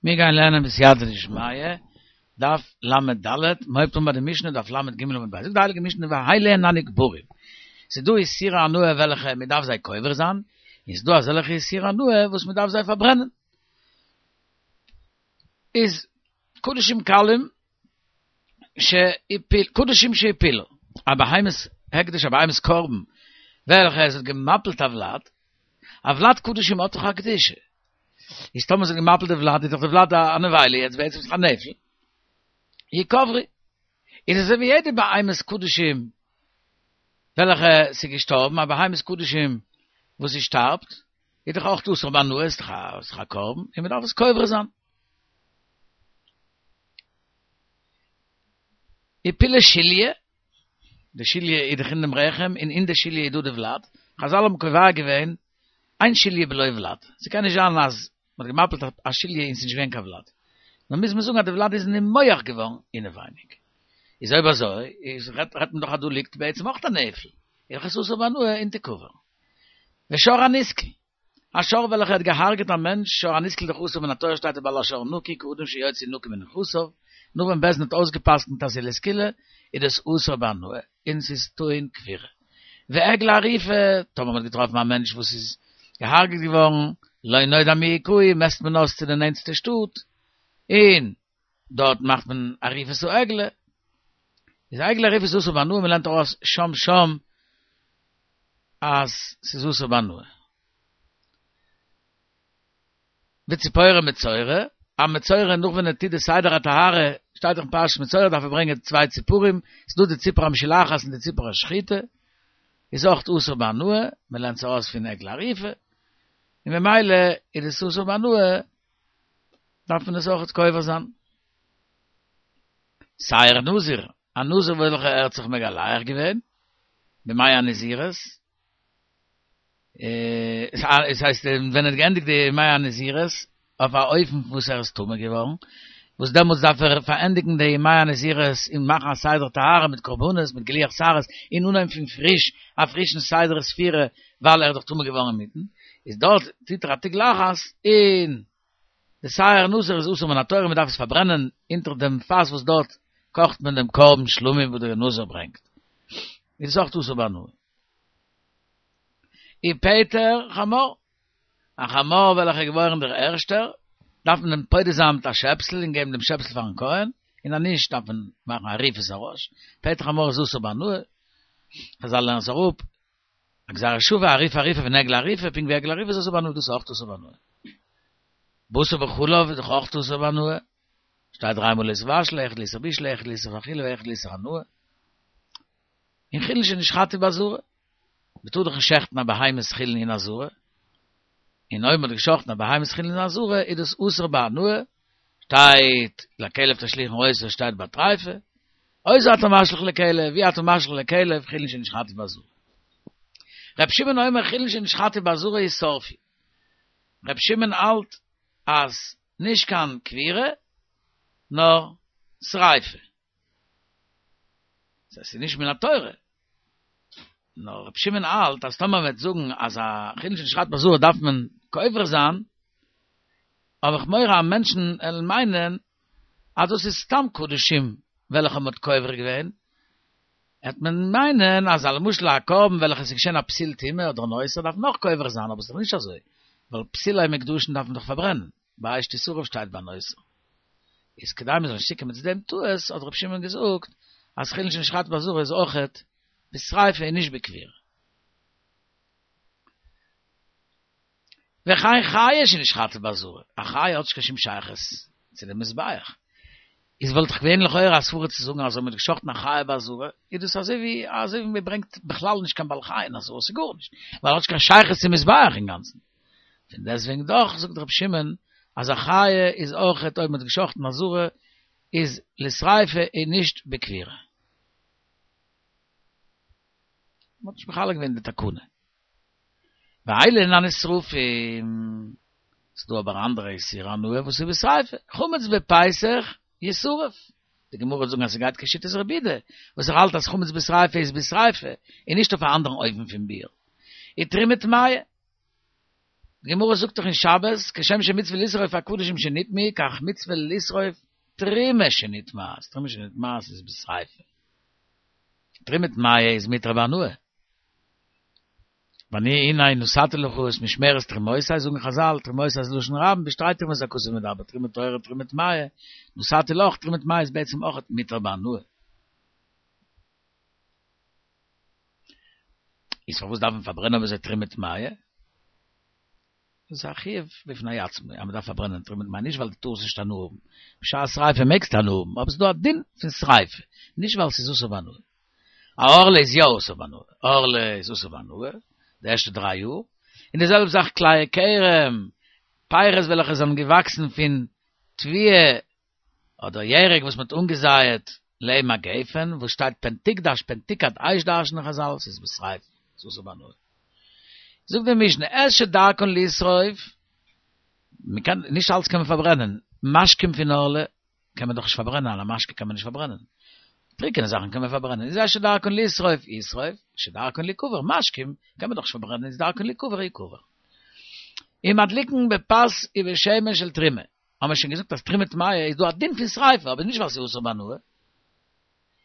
מיר גייען לערנען בסייעתא דשמיא, דף ל"ד, מ'הויבט אן ביי די משנה דף ל"ג עמוד ב', זאגט די הייליגע משנה ואלו הן הנקברים, ס'איז דא איסורי הנאה וועלכע מ'דארף זיי קובר זיין, און ס'איז דא אזעלכע איסורי הנאה וואס מ'דארף זיי פארברענען. איז קדשים קלים שהפיל, קדשים שהפילו, א בהמת הקדש א בהמת קרבן וועלכע עס האט געמפילט א ולד, א ולד קדשים האט דאך א קדושה, איז טאמער עס האט געמפילט די ולד איז דאך די ולד א נבילה יעצט בעצם איז דאך א נפל, יקברו, איז אזוי ווי יעדע בהמת קדשים וועלכע ס'איז געשטארבן, א בהמת קדשים וואס זי שטארבט, איז דאך אויך אסור בהנאה, איז דאך א קרבן, און מ'דארף עס קובר זיין. הפילה שליה, די שליה איז דאך אין דעם רחם, און אין די שליה איז דא די ולד, חזל האבן קובע געווען, אין שליה בלא ולד, ס'קען נישט זיין אז מ'האט געמפילט א שליה און ס'איז נישט געווען קיין ולד, נאר מוז מען זאגן אז די ולד איז נימוח געווארן אינעווייניג. איז אויב אזוי, איז רעדט מען דאך אז דא ליגט בעצם אויך א נפל, איז דאך עס אסור בהנאה און תקבר. ושור הנסקל, א שור וועלכער האט געהארגעט א מענטש, שור הנסקל איז דאך אסור מן התורה שטייט ובעל השור נקי כאדם שיוציא נקי מנכסיו, נאך ווען בית דין האט אויסגעפסקנט אז ס'איז לסקילה, איז דאס אסור בהנאה, און ס'איז טעון קבירה. ועגלה ערופה, טאמער מ'האט געטראפן א מענטש וואס איז געהארגעט געווארן, לא נודע מי הכהו, מעסט מען אויס צו די נענטסטע שטאט, און דארט מאכט מען עריפת העגלה, איז עגלה ערופה איז אסור בהנאה, מ'לערנט ארויס שם שם אז ס'איז אסור בהנאה. וציפורי מצורע, א מצורע נאך ווען ער טוט די סדר הטהרה, שטייט דאך אין פרשת מצורע דארף ער ברענגען צוויי ציפורים, ס'איז דא די ציפור המשולחת און די ציפור השחוטה, איז אויך אסור בהנאה, מ'לערנט עס ארויס פון עגלה ערופה, און ממילא איז עס אסור בהנאה, דארף מען עס אויך קובר זיין. שער נזיר, א נזיר וועלכע ער האט זיך מגלח געווען בימי הנזירות, עס הייסט ווען ער האט געענדיגט די ימי הנזירות אויף א אופן וואס ער איז טמא געווארן, וואס דעמאלטס דארף ער פארענדיגן די ימי הנזירות און מאכן א סדר טהרה מיט קרבנות מיט גילוח שערות און אנהויבן פון פריש א פרישן סדר ספירה ווייל ער איז דאך טמא געווארן אינמיטן, איז דארט טוט ער א תגלחת און די שער נזיר איז אסור מן התורה מען דארף עס פארברענען אונטער דעם פאס וואס דארט קאכט מען דעם קרבן שלמים וואס דער נזיר ברענגט, איז עס אויך אסור בהנאה. ופטר חמור, א חמור וועלכער איז געבוירן דער ערשטער, דארף מען אים פודה זיין מיט א שעפסל און געבן דעם שעפסל פארן כהן, און אז נישט דארף מען מאכן עריפת הראש, פטר חמור איז אסור בהנאה, חזל לערנען עס אראפ, א גזירה שווה, עריפה עריפה פון עגלה ערופה, פונקט ווי עגלה ערופה איז אסור בהנאה, דאס איז אויך אסור בהנאה. בשר בחלב איז דאך אויך אסור בהנאה, שטייט דריי מאל לא תבשלו, אחד לאיסור בישול, אחד לאיסור אכילה ואחד לאיסור הנאה. און חולין שנשחטו בעזרה, מ'טאר דאך נישט שעכטן א בהמת חולין אין עזרה, און אויב מ'האט געשאכטן א בהמת חולין אין עזרה איז דאס אסור בהנאה, שטייט לכלב תשליכון אותו שטייט ביי טריפה, אותו אתה משליך לכלב, ואי אתה משליך לכלב, חולין שנשחטו בעזרה. ר' שמעון אומר חולין שנשחטו בעזרה ישרפו. ר' שמעון האלט אז נישט קיין קבירה נאר שריפה. ס'איז נישט מן התורה. נאר רבי שמעון האלט אז טאמער מ'וועט זאגן אז א חולין שנשחט בעזרה דארף מען קובר זיין, האב איך מורא אז מענטשן עלן מיינען אז דאס איז סתם קדשים וועלכע מ'האט קובר געווען, העט מען מיינען אז א למשל א קרבן וועלכע ס'איז געשען א פסול טומאה אדער נותר דארף מען אויך קובר זיין, אבער ס'איז דאך נישט אזוי, ווייל פסולי מוקדשין דארף מען דאך פארברענען, באש תשרף שטייט ביי נותר. איז כדי מ'זאל נישט צוקומען צו דעם טעות האט רבי שמעון געזאגט אז חולין שנשחט בעזרה איז אויכעט בשריפה און נישט בקבירה. וכן חיה שנשחטה בעזרה, א חיה האט נישט קיין שום שייכות צו דעם מזבח, איז וואלט דאך געווען לכאורה א סברה צו זאגן אז אויב מ'האט געשחטן א חיה בעזרה איז דאס אזוי ווי אזוי ווי מ'ברענגט בכלל נישט קיין בעל חי אין עזרה, ס'איז גארנישט, ווייל האט נישט קיין שייכות צום מזבח אינגאנצן. פון דעסטוועגן דאך זאגט רבי שמעון אז א חיה איז אויכעט אויב מ'האט געשחטן עזרה איז לשריפה און נישט בקבירה. מ'האט נישט מחלק געווען די תקנה. ואלו הן הנשרפים, ס'דא אבער אנדערע איסורי הנאה וואס איז בשריפה, חמץ בפסח ישרף, די גמרא וועט זאגן אז ס'גייט כשיטת רבי יהודה, וואס ער האלט אז חמץ בשריפה איז בשריפה, און נישט אויף א אנדערן אופן פון ביעור. ותרומה טמאה. די גמרא זאגט דאך אין שבת, כשם שמצוה לשרוף הקדשים שנטמאו, כך מצוה לשרוף תרומה שנטמאת, תרומה שנטמאת איז בשריפה. תרומה טמאה איז מותר בהנאה. ואני הנה נתתי לך את משמרת תרומותי, זאגן חזל, תרומותי איז לשון רבים, בשתי תרומות הכתוב מדבר, תרומה טהורה תרומה טמאה, נתתי לך, תרומה טמאה איז בעצם אויך מותר בהנאה. איז פארוואס דארף מען פארברענען אויב אזוי תרומה טמאה? דאס איז א חיוב בפני עצמו אז מען דארף פארברענען תרומה טמאה, נישט ווייל דו טארסט נישט הנאה האבן, בשעת שריפה מעגסטו הנאה האבן, אבער ס'איז דא א דין פון שריפה, נישט ווייל ס'איז אסור בהנאה. א ערלה איז יא אסור בהנאה, ערלה איז אסור בהנאה די ערשטע דריי יאר, און די זעלבע זאך כלאי כרם, פירות וועלכע זענען געוואקסן פון תבואה אדער ירק וואס מ'האט אנגעזייעט לעבן א גפן, וואס שטייט פן תקדש פן תוקד אש דרש'נען חזל, ס'איז בשריפה, ס'איז אסור בהנאה. זאגט די משנה, את שדרכן לשרוף, מ'קען, נישט אלץ קען מען פארברענען, משקים פון ערלה קען מען דאך נישט פארברענען, א משקה קען מען נישט פארברענען. טריקענע זאכן קען מען פארברענען, איז את שדרכן לשרוף ישרוף, שדרכן ליקבר, משקים קען מען דאך נישט פארברענען, איז דרכן ליקבר יקבר. ומדליקין בפת ובשמן של תרומה. האבן מיר שוין געזאגט אז תרומה טמאה איז דא א דין פון שריפה אבער נישט ווייל ס'איז אסור בהנאה.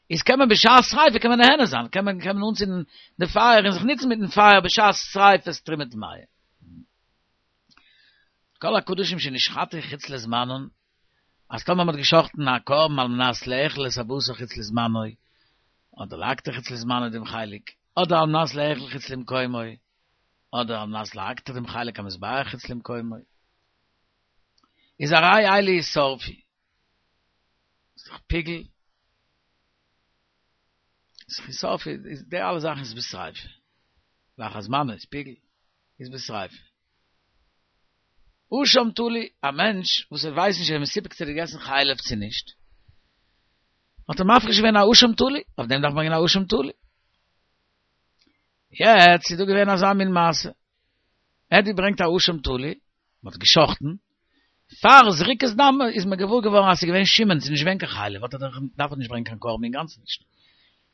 איז קען מען בשעת שריפה קען מען נהנה זיין, קען מען קען מען אנצינדן די פייער און זיך נוצן מיטן פייער בשעת שריפת תרומה טמאה. כל הקדשים שנשחטו חוץ לזמנן, אז טאמער מ'האט געשחטן א קרבן על מנת לאכול את הבשר חוץ לזמנו, אדער להקטיר חוץ לזמנו דעם חלק, אדער על מנת לאכול חוץ למקומו, אדער על מנת להקטיר דעם חלק המזבח חוץ למקומו. איז הרי אלו ישרפו. איז דאך פיגול. איז ישרפו, איז די אלע זאכן איז בשריפה. לאחר זמנו איז פיגול, איז בשריפה. אשם תלוי, א מענטש וואס ער ווייסט נישט ער איז מסופק צו ער האט געגעסן חלב צו נישט, האט ער מפריש געווען א אשם תלוי, אויף דעם דארף מען ברענגען א אשם תלוי. יעצט איז דא געווען אזא מין מעשה, ער האט געברענגט א אשם תלוי, מען האט געשחטן, פאר זריקת דם איז מען געוואר געווארן אז ס'איז געווען שומן, ס'איז נישט געווען קיין חלב, האט ער דאך דארף ער נישט ברענגען קיין קרבן אינגאנצן נישט,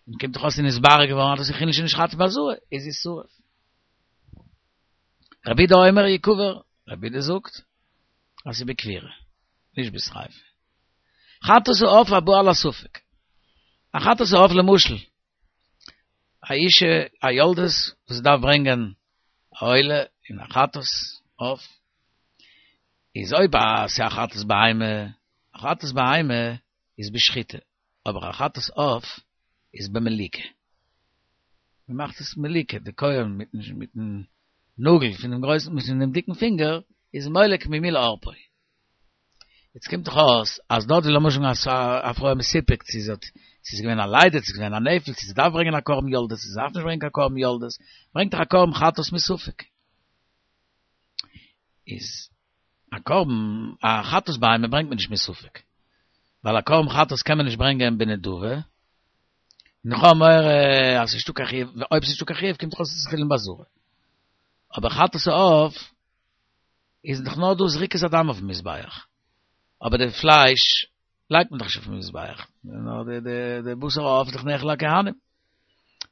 און קומט דאך אויס ס'איז נתברר געווארן אז דאס איז חולין שנשחטו בעזרה, איז ישרף. רבי יהודה אומר יקבר, רבי יהודה זאגט אז ס'איז בקבירה, נישט בשריפה. חטאת העוף הבא על הספק, א חטאת העוף למשל, א אישה א יולדת וואס דארף ברענגען א עולה און א חטאת עוף, איז אויב א ס'איז א חטאת בהמה, א חטאת בהמה איז בשחיטה, אבער א חטאת עוף איז במליקה. מען מאכט עס מליקה, די כהן מיטן מיטן נאגל פונעם גרויסן מיטן דעם דיקן פינגער איז מולק ממילא עורפו. יעצט קומט דאך אויס אז דארט ווי למשל אז א פרוי איז מסופק צו זי האט צו ס'איז געווען א לידה צו ס'איז געווען א נפל צו זי דארף ברענגען א קרבן יולדת צו זי דארף נישט ברענגען קיין קרבן יולדת ברענגט דאך א קרבן חטאת מספק איז א קרבן א חטאת בהמה ברענגט מען נישט מספק ווייל א קרבן חטאת קען מען נישט ברענגען בנדבה און איך האב מורא אז ס'איז נישטא קיין חיוב אויב ס'איז נישטא קיין חיוב קומט דאך אויס אז ס'איז חולין בעזרה אבער חטאת העוף איז דאך נאר דא זריקת הדם אויפן מזבח, אבער די פלייש לייגט מען דאך נישט אויפן מזבח, נאר די די די בשר העוף איז דאך נאכל לכהנים.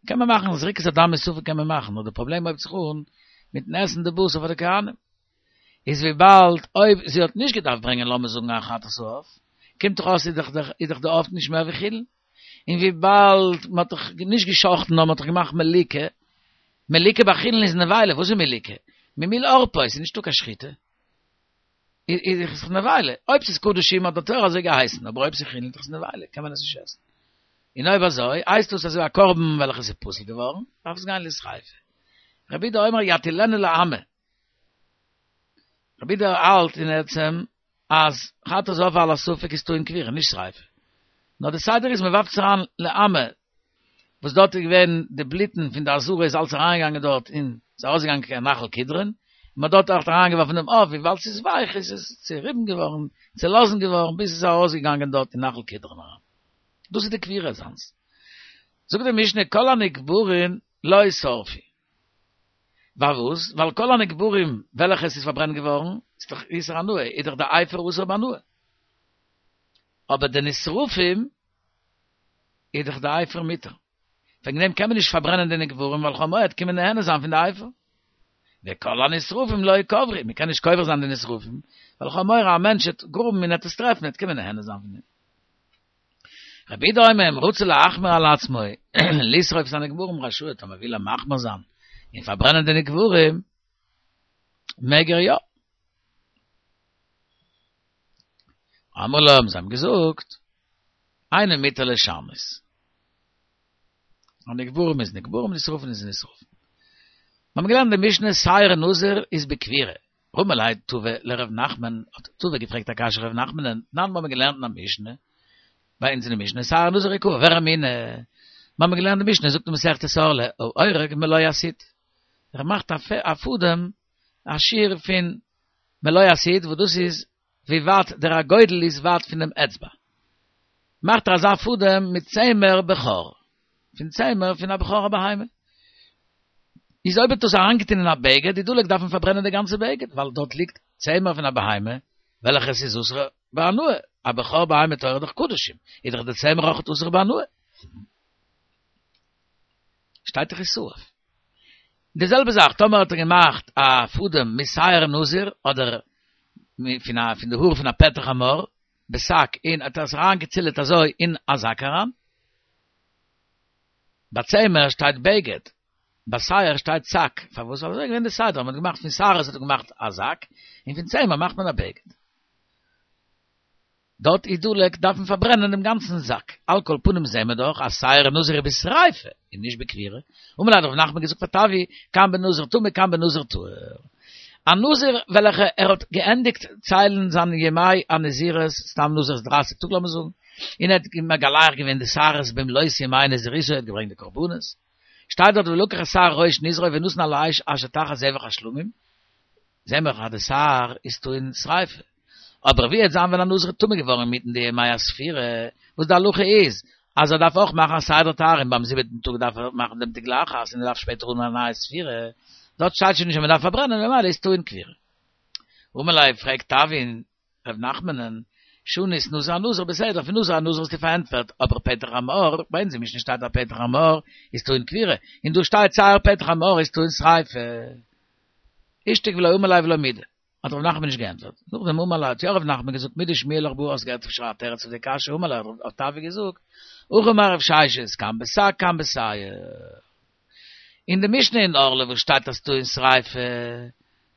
קען מען מאכן זריקת הדם מספק קען מען מאכן, נאר די פראבלעם הויבט זיך אן מיטן עסן די בשר פאר די כהנים. איז וויבאלד אויב זי האט נישט געדארפט ברענגען לאמיר זאגן א חטאת העוף, קומט דאך אויס איז דאך איז דאך די עוף נישט מער ווי חולין. און וויבאלד מען האט דאך נישט גע'שחט'ן נאר מען האט דאך געמאכט מליקה, מליקה ביי חולין איז נבילה, וואס איז מליקה? ממיל עורפו, ס'איז נישטא קיין שחיטה. איז דאך נבילה. אויב ס'איז קדשים האט די תורה אזוי געהייסן, אבער אויב ס'איז חולין איז דאך עס נבילה, קען מען עס נישט עסן. און אויב אזוי, הייסט דאס אזוי א קרבן וועלכע איז פסול געווארן, דארף עס גיין לשריפה. רבי יהודה אומר יטילנה לאמה. רבי יהודה האלט אין עצם אז חטאת העוף על הספק איז טעון קבירה, נישט שריפה. נאר די סדר איז מ'ווארפט עס אריין לאמה, וואס דארט איז געווען די בלוטן פון די עזרה איז אלץ אריינגעגאנגען דארט און ס'איז ארויסגעגאנגען קיין נחל קדרון, און מ'האט דארט אויך אריינגעווארפן דעם עוף, וויבאלד ס'איז ווייך איז עס צעריבן געווארן, צעלאזן געווארן, ביז ס'איז ארויסגעגאנגען דארט אין נחל קדרון אריין. דאס איז די קבירה זיינס. זאגט די משנה כל הנקברין לא ישרפו. פארוואס? ווייל כל הנקברים וועלכע עס איז פארברענט געווארן, איז דאך איסור הנאה, איז דאך די אפר אסור בהנאה. אבער די נשרפים איז דאך די אפר מותר. וועגן דעם קען מען נישט פארברענען די נקברים ווייל כ'האב מורא עט קומען נהנה זיין פון די אפר. וכל הנשרפים לא יקברו, מען קען נישט קובר זיין די נשרפים, ווייל איך האב מורא א מענטש וועט גראבן און עט עס טרעפן, עט קומען נהנה זיין פון דעם. רבי יהודה אומר אם רוצה להחמיר על עצמו, לשרוף את הנקברים רשאי, טאמער וויל ער מחמיר זיין און פארברענען די נקברים, מעג ער יא. אמרו לו, האבן זיי אים געזאגט, אינו מותר לשנות. א נקברים איז נקברים, נשרפים איז נשרפים. מיר האבן געלערנט די משנה שער נזיר איז בכפירה. רמי ליה טבא לר' נחמן, האט טבא געפרעגט א קשיא ר' נחמנ'ן, תנן מיר האבן געלערנט אין א משנה, ביי אונז אין די משנה, שער נזיר יקבר, ורמינהו, מיר האבן געלערנט די משנה, זאגט אין מסכת ערלה, האורג מלא הסיט, ער מאכט א פאדעם, א שעיר פון מלא הסיט, וואס דאס איז ווי ווייט דער אגודל איז ווייט פון דעם אצבע, מאכט ער אזא פאדעם מיט צמר בכור, פון צמר פון א בכור א בהמה. איז אויב ער האט דאס אריינגעטון אין א בגד, איז דלוק דארף מען פארברענען די גאנצע בגד, ווייל דארט ליגט צמר פון א בהמה, וועלכע עס איז אסור בהנאה, א בכור בהמה טהורה איז דאך קדשים, איז דאך די צמר אויך אסור בהנאה. שטייט דאך ישרף. די זעלבע זאך טאמער האט ער געמאכט א פאדעם משער נזיר אדער פון א פון די האר פון א פטר חמור בשק און האט עס אריין געצילעט אזוי אין א זאק אריין. ביי צמר שטייט בגד, ביי שער שטייט שק, פארוואס? ווייל אזוי איז געווען די סדר, מען האט געמאכט פון שערות האט מען געמאכט א זאק, און פון צמר מאכט מען א בגד. דארט איז דלוק דארף מען פארברענען דעם גאנצן זאק, על כל פנים זעהן מיר דאך אז שער נזיר איז בשריפה און נישט בכפירה, אמר ליה האט רב נחמן געזאגט פאר טבי, כאן בנזיר טמא כאן בנזיר טהור. א נזיר וועלכע ער האט געענדיגט ציילן זיין ימי הנזירות, סתם נזיר איז דרייסיג טאג לאמיר זאגן, און ער האט מגלח געווען די שערות במלאות ימי נזירותו ער האט געברענגט די קרבנות, שטייט דארט ולקח את שער ראש נזרו ונתן על האש אשר תחת זבח השלמים, זעהן מיר אז די שער איז טעון שריפה. אבער ווי וועט זיין ווען א נזיר איז טמא געווארן אינמיטן די ימי הספירה, וואס די הלכה איז אז ער דארף אויך מאכן א סדר טהרה און ביים זיבעטן טאג דארף ער מאכן דעם תגלחת און ער דארף שפעטער האבן א נייע ספירה, דארט שטייט שוין נישט אז מען דארף פארברענען ממילא איז טעון כפירה. אמר ליה פרעגט טבי ר' נחמנ'ן, שנית נזיר אנזיר בסדר, פון נזיר אנזיר האסטו פארענטפערט, אבער פטר חמור, ביי אונז אין משנה שטייט אז פטר חמור איז טעון כפירה, און דא שטייט שער פטר חמור איז טעון שריפה. אישתיק ולא אמר ליה ולא מידי, האט ר' נחמן נישט געענטפערט, נאכדעם אמר ליה האט יא ר' נחמן געזאגט מידי שמיע לך בהא האסט געהערט אפשר א תירוץ אויף די קשיא אמר ליה האט טבי געזאגט, הכי אמר רב ששת, כאן בשק כאן בשער. אין די משנה אין ערלה וואס שטייט אז טעון שריפה,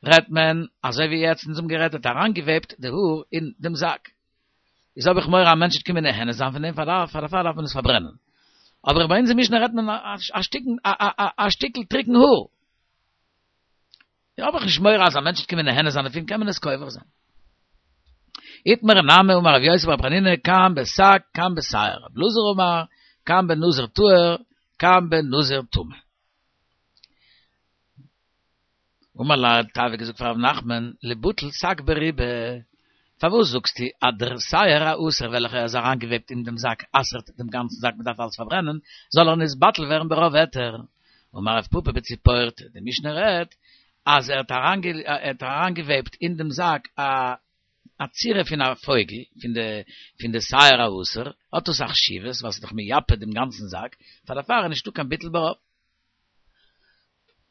רעדט מען אזוי ווי יעצט אונז האבן גערעדט האט אריינגעוועבט די האר אין דעם זאק, איז האב איך מורא א מענטש וועט קומען נהנה זיין פון דעם פאר דערפאר דארף מען עס פארברענען, אבער ביי אונז אין משנה רעדט מען א שטיקן א שטיקל טריקן האר. האב איך נישט מורא אז א מענטש וועט קומען נהנה זיין דערפון קען מען עס קובר זיין. איתמר נמי אמר רב יוסי בר חנינא כאן בשק כאן בשער רב אלעזר אמר כאן בנזיר טהור כאן בנזיר טמא. אמר ליה האט טבי געזאגט פאר רב נחמן ליבטל שק ברובא פארוואס זאגסטו אז דער שער האסור וועלכע איז אריינגעוועבט אין דעם זאק אסר'ט דעם גאנצן זאק מ'דארף אלס פארברענען זאל ער נתבטל ווערן ברוב היתר אמר רב פפא בציפורתא, די משנה רעדט אז ער האט אריינגעוועבט אין דעם זאק א א צורה פון א פויגל, פון די פון די שער האסור, האט דאס א חשיבות ווייל ס'איז דאך מייפה דעם גאנצן זאק, פאר דערפאר איז נישטא קיין ביטול ברוב.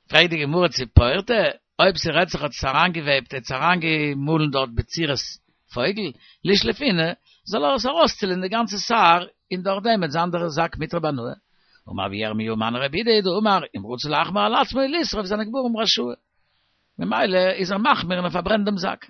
פרעגט די גמרא ציפורתא, אויב ס'רעדט זיך האט עס אריינגעוועבט, ער האט עס אריינגעמאלן דארט בצורת פויגל, לישלופינהו, זאל ער עס ארויסצילען די גאנצע שער, און דורך דעם וועט זיין דער זאק מותר בהנאה. אמר רבי ירמי' מני רבי יהודה היא דאמר, אם רצה להחמיר על עצמו לשרוף את הנקברים רשאי. ממילא איז ער מחמיר און ער פארברענט דעם זאק.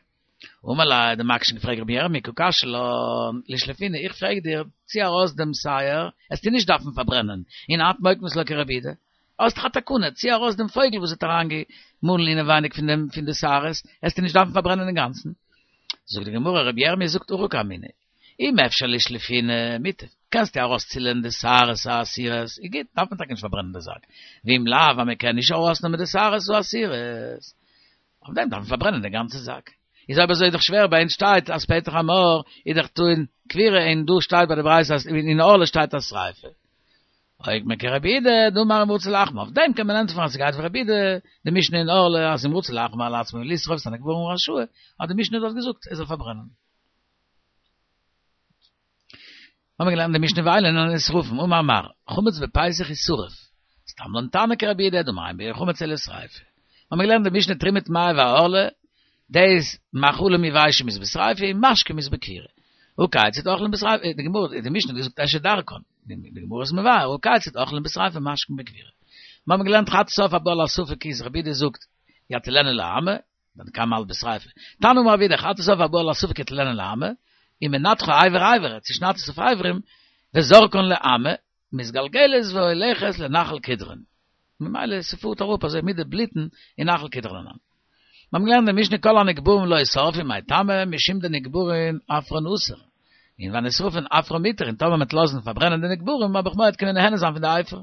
אמר ליה, האט דער מקשן געפרעגט רבי ירמי' קא קשיא לן, לישלופינהו, איך פרעג דיר, צי ארויס דעם שער, עסטו נישט דארפן פארברענען, און את מוקמת לה כרבי יהודה. האסט דאך א תקנה, צי ארויס דעם פויגל וואס האט אריינגעמאלן אינעווייניג פון דעם פון די שערות, עסטו נישט דארפן פארברענען אינגאנצן. זאגט די גמרא, רבי ירמי' זאגט הכי קאמינא, אם אפשר לשלופינהו מוטב, קענסטו ארויסצילען די שערות האסורות, איז גוט, דארף מען טאקע נישט פארברענען די זאק, ואם לאו, אז מען קען נישט ארויסנעמען די שערות האסורות, אויף דעם דארף מען פארברענען די גאנצע זאק. איז אויב אזוי איז דאך שווער, ביי אונז שטייט אז פטר חמור איז דאך טעון כפירה און דא שטייט ביי די ברייתא אז אין ערלה שטייט אז שריפה. אוקימא כרבי יהודה דאמר אם רצה להחמיר, אויף דעם קען מען ענטפערן אז ס'גייט ווי רבי יהודה, די משנה אין ערלה אז אם רצה להחמיר על עצמו לשרוף את הנקברים רשאי, האט די משנה דארט געזאגט ער זאל פארברענען. האבן מיר געלערנט די משנה ואלו הן הנשרפים, אמר מר, חמץ בפסח ישרף, סתם לן תנא כרבי יהודה דאמר אין ביעור חמץ אלא שריפה. האבן מיר געלערנט די משנה תרומה טמאה והערלה, דאס מאכלים יבשים איז בשריפה און משקים איז בכירה. הא כיצד אוכלים בשריפה, די גמרא, די משנה האט געזאגט אשת דרכון, די גמרא איז מבאר, הא כיצד אוכלים בשריפה משקים בכירה. מיר האבן געלערנט חטאת העוף הבא על הספק איז רבי יהודה זאגט יטילנה לאמה, תנא קמא האלט בשריפה. תנא אמר רבי יהודה חטאת העוף הבא על הספק יטילנה לאמה, ומנתחה אבר אבר, ער צושניידט עס אויף אברים, וזורקן לאמה, מתגלגלת והולכת לנחל קדרון. ממילא ס'פארט אראפ אזוי מיט די בלוטן אין נחל קדרון אריין. מיר האבן געלערנט די משנה כל הנקברים לא ישרפו מאי טעמא משום דנקברין אפרן אסור. און והנשרפין אפרן מותר און טאמער מ'וועט לאזן פארברענען די נקברים האב איך מורא קען מען נהנה זיין פון די אפר.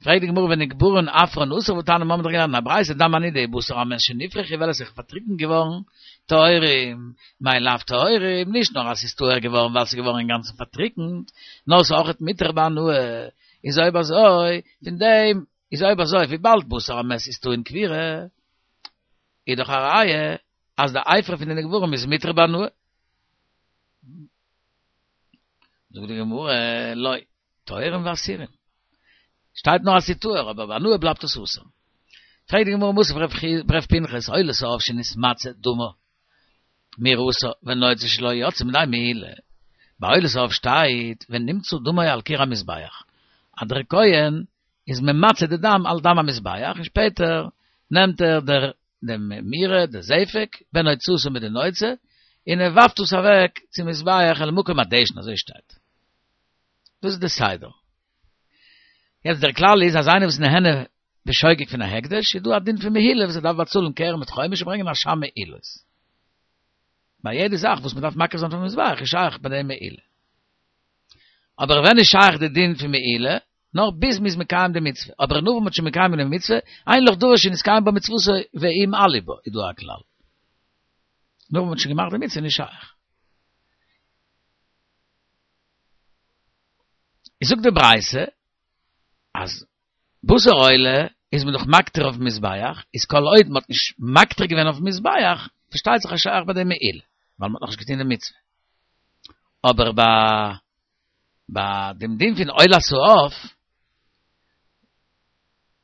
פרעגט די גמרא ונקברין עפרן אסור והתניא מיר האבן דאך געלערנט אין א ברייתא דם הנידה ובשר המת שנפרכו וועלכע איז פארטריקנט געווארן טהורים, מאי לאו טהורים, נישט נאר אז ס'איז טהור געווארן ווייל ס'איז געווארן אינגאנצן פארטריקנט, נאר ס'איז אויכעט מותר בהנאה, איז אויב אזוי, פון דעם איז אויב אזוי וויבאלד בשר המת איז טעון קבורה, איז דאך א ראיה אז די אפר פון די נקברים איז מותר בהנאה. זאגט די גמרא, לא. טהורים ואסורים. שטייט נאר אז ס'איז טהור, אבער בהנאה בלייבט עס אסור. פרעגט די גמרא מתיב רב פנחס, עולת העוף שנתמצה דמה מירתה ונוצה שלה יצא מידי מעילה. ביי עולת העוף שטייט ונמצה דמו על קיר המזבח. אז דער כהן איז ממצה די דם על דם המזבח און שפעטער נעמט ער דער דעם מירה, די זפק, ונוצתה מיט די נוצה, און ער ווארפט עס אוועק צום מזבח אל מקום הדשן, אזוי שטייט. דאס איז די סדר. יעצט דער כלל איז אז איינער וואס איז נהנה בשוגג פון א הקדש, איז דא א דין פון מעילה וואס ער דארף באצאלן קרן מיט חומש און ברענגען אשם מעילות. ביי יעדע זאך וואס מען דארף מקריב זיין פארן מזבח איז שייך ביי דעם מעילה. אבער ווען איז שייך די דין פון מעילה? נאר ביז מ'איז מקיים די מצוה. אבער נאך וואס מ'האט שוין מקיים געווען די מצוה, אין לך דבר שנתקיים בו מצוותו ומעלים בה, איז דא א כלל. נאך וואס מ'האט שוין געמאכט די מצוה איז נישט שייך. איז זאגט די ברייתא אז בשר עולה איז מען דאך מקטיר אויפן מזבח, איז כל עוד מ'האט נישט מקטיר געווען אויפן מזבח, פארשטייט זיך אז שייך ביי דעם מעילה, ווייל מ'האט נאכנישט געטון די מצוה. אבער ביי ביי דעם דין פון עולת העוף,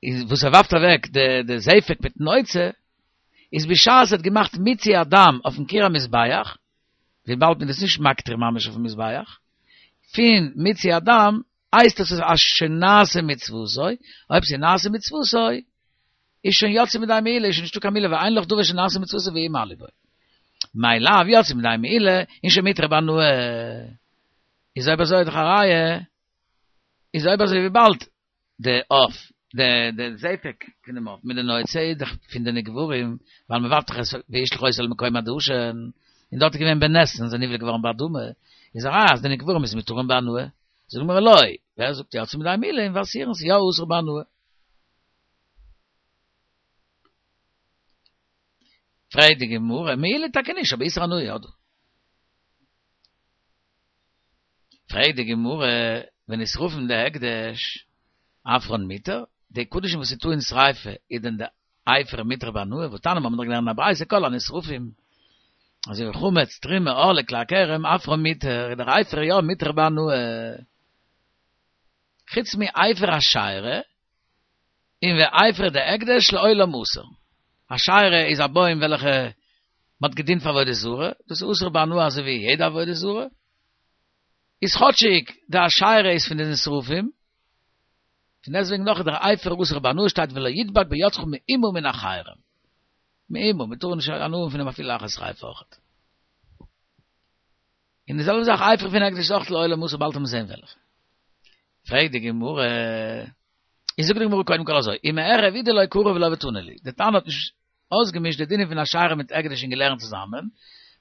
איז וואס ער ווארפט אוועק די די זפק מיטן נוצה, איז בשעת ער האט געמאכט מיצוי הדם אויפן קיר המזבח, וויבאלד מען איז נישט מקטיר ממש אויפן מזבח, פון מיצוי הדם הייסט עס אז שוין נעשה מצוותו, אויב ס'איז נעשה מצוותו, איז שוין יצא מידי מעילה, איז שוין נישטא קיין מעילה, ואין לך דבר שנעשה מצוותו ומעלים בו. מאי לאו יצא מידי מעילה, און שוין מותר בהנאה. איז אויב אזוי איז דאך א ראיה, איז אויב אזוי וויבאלד די עוף, די די זפק פון דעם עוף מיט די נוצה איז דאך פון די נקברים, ווייל מען ווארפט דאך עס וישלך אותו אל מקום הדשן, און דארט איז געווען בנס און זיי נבלע געווארן באדמה, איז א ראיה אז די נקברים איז מותרים בהנאה. זאגט די גמרא לא, ווער זאגט יצא מידי מעילה און ואסורין ס'איז יא אסור בהנאה. פרעגט די גמרא, מעילה טאקע נישט, אבער איסור הנאה יא דא. פרעגט די גמרא, ונשרפין דהקדש, אפרן מותר, די קדשים וואס איז טעון שריפה איז דען די אפר מותר בהנאה, והתניא מיר האבן דאך געלערנט אין א ברייתא כל הנשרפים, אזוי ווי חמץ, תרומה, ערלה, כלאי הכרם, אפרן מותר, איז דער אפר יא מותר בהנאה. חוץ מאפר אשירה, און ואפר דהקדש לעולם אסור. אשירה איז א בוים וועלכע מען האט געדינט פאר עבודה זרה, דאס איז אסור בהנאה אזוי ווי יעדע עבודה זרה, איז כאטשיג די אשירה איז פון די נשרפים, פון דעסטוועגן נאך איז דער אפר אסור בהנאה שטייט ולא ידבק בידך מאומה מן החרם. מאומה, מען טאר נישט הנאה האבן פון דעם אפילו לאחר שריפה אויכעט. און די זעלבע זאך אפר פון הקדש איז אויך לעולם אסור באלד וועט מען זען וועלכע. פרעגט די גמרא, איז זאגט די גמרא קודם כל אזוי, ומערב הוא דלא קרב לה ותנא להו, די תנא האט נישט אויסגעמישט די דינים פון אשירה מיט הקדש און געלערנט צוזאמען,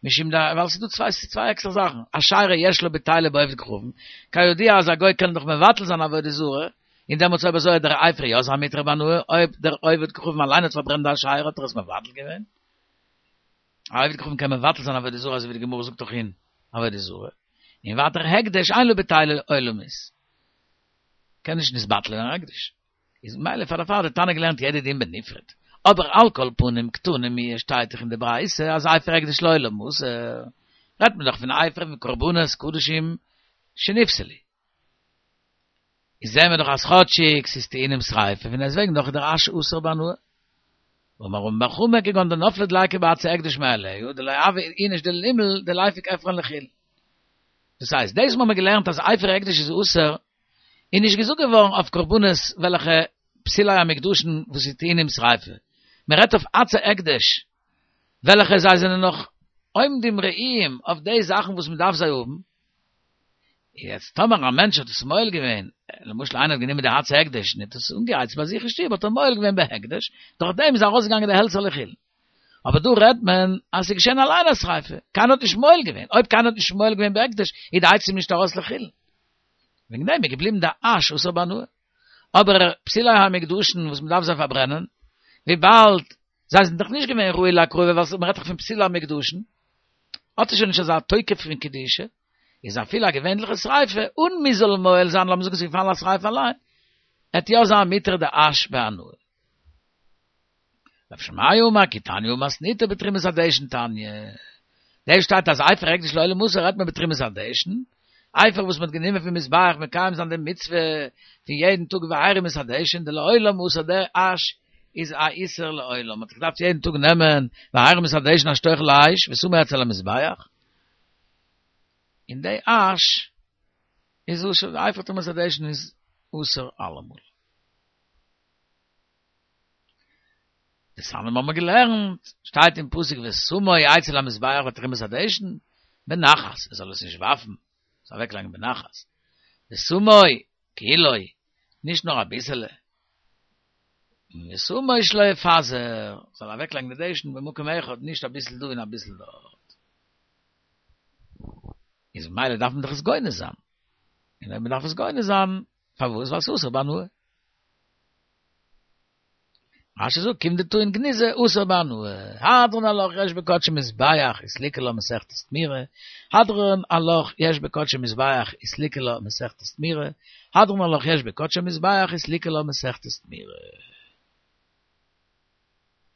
משום ד ווייל ס'איז דא צוויי ס'איז צוויי עקסטערע זאכן, אשירה יש לה בטילה בעובד כוכבים, כידוע אז א גוי קען דאך מבטל זיין עבודה זרה, און דעמאלטס אויב אזוי האט דער אפר יא זיין מותר בהנאה, אויב דער עובד כוכבים אליין האט פארברענט די אשירה האט ער עס מבטל געווען. א עובד כוכבים קען מבטל זיין עבודה זרה אזוי ווי די גמרא זאגט דאך אין עבודה זרה, און ווייטער הקדש אין לו בטילה עולמית, קען נישט נתבטל ווערן הקדש, איז ממילא פאר דערפאר האט די תנא געלערנט יעדע דין בנפרד, אבער על כל פנים קתני מיהא שטייט דאך אין די ברייתא אז אפר הקדש לעולם אסור, רעדט מען דאך פון אפר פון קרבנות קדשים שנפסלו. איז זעהן מיר דאך אז כאטשיג ס'איז טעונים שריפה פון דעסטוועגן דאך איז דער אש אסור בהנאה. אמר רמי בר חמא כגון דנפלה דליקה בעצי הקדש מאליה דלא הוי איניש דלימהל דליפוק אפרן לחולין. דאס הייסט, דאס וואס מ'האמיר געלערנט אז אפר הקדש איז אסור, איז נישט געזאגט געווארן אויף קרבנות וועלכע פסולי המוקדשין וואס איז טעונים שריפה. מ'רעדט אויף עצי הקדש וועלכע זיי זענען נאך עומדים ראויים אויף די זאכן וואס מ'דארף זיי האבן. יעצט טאמער א מענטש האט עס מועל געווען, למשל איינער האט גענומען די עצי הקדש און האט עס אנגעהייצט ביי זיך אין שטוב האט ער מועל געווען בהקדש, דורך דעם איז ארויסגעגאנגען די העלצער לחולין. אבער דא רעדט מען אז ס'איז געשען אליין א שריפה, קיינער האט נישט מועל געווען, אויב קיינער האט נישט מועל געווען בהקדש איז די עצים נישט ארויס לחולין. וועגן דעם איז געבליבן די אש אסור בהנאה. אבער פסולי המוקדשין וואס מ'דארף זיי פארברענען, וויבאלד זיי זענען דאך נישט געווען ראוי להקרבה ווייל מ'רעדט דאך פון פסולי המוקדשין, האט עס שוין נישט אזא תוקף פון קדושה, איז אפילו א געווענליכע שריפה, אן מ'זאל מועל זיין, לאמיר זאגן ס'איז געפאלן א שריפה אליין, עט יא זיין מותר די אש בהנאה. רב שמעיה אמר כי תניא הא מתניתא בתרומת הדשן תניא. דא שטייט אז אפר הקדש לעולם אסור רעדט מען בתרומת הדשן, אפר וואס מ'האט גענומען פון מזבח מקיים זיין די מצוה פון יעדן טאג והרים את הדשן דלעולם אסור דער אש איז א איסור לעולם, מ'האט געדארפט יעדן טאג נעמען והרים את הדשן אשר תאכל האש ושמו אצל המזבח, און די אש איז אסור, די אפר תרומת הדשן איז אסור אלעמאל. דתניא האבן מיר געלערנט, שטייט אין פסוק ושמו אצל המזבח בתרומת הדשן, בנחת, ער זאל עס נישט ווארפן, עס אוועקלייגן בנחת, ושמו כולו, נישט נאר אביסעלע, ושמו שלא יפזר, זאל אוועקלייגן די דשן במקום אחד, נישט אביסל דא און אביסל דארט. איז ממילא דארף מען דאך עס גונז זיין. און אויב מען דארף עס גונז זיין, פארוואס? ווייל ס'איז אסור בהנאה. רש"י זאגט כיון דטעון גניזה אסור בהנאה. הדרן עלך יש בקדשי מזבח וסליקא לה מסכת תמורה. הדרן עלך יש בקדשי מזבח וסליקא לה מסכת תמורה. הדרן עלך יש בקדשי מזבח וסליקא לה מסכת תמורה.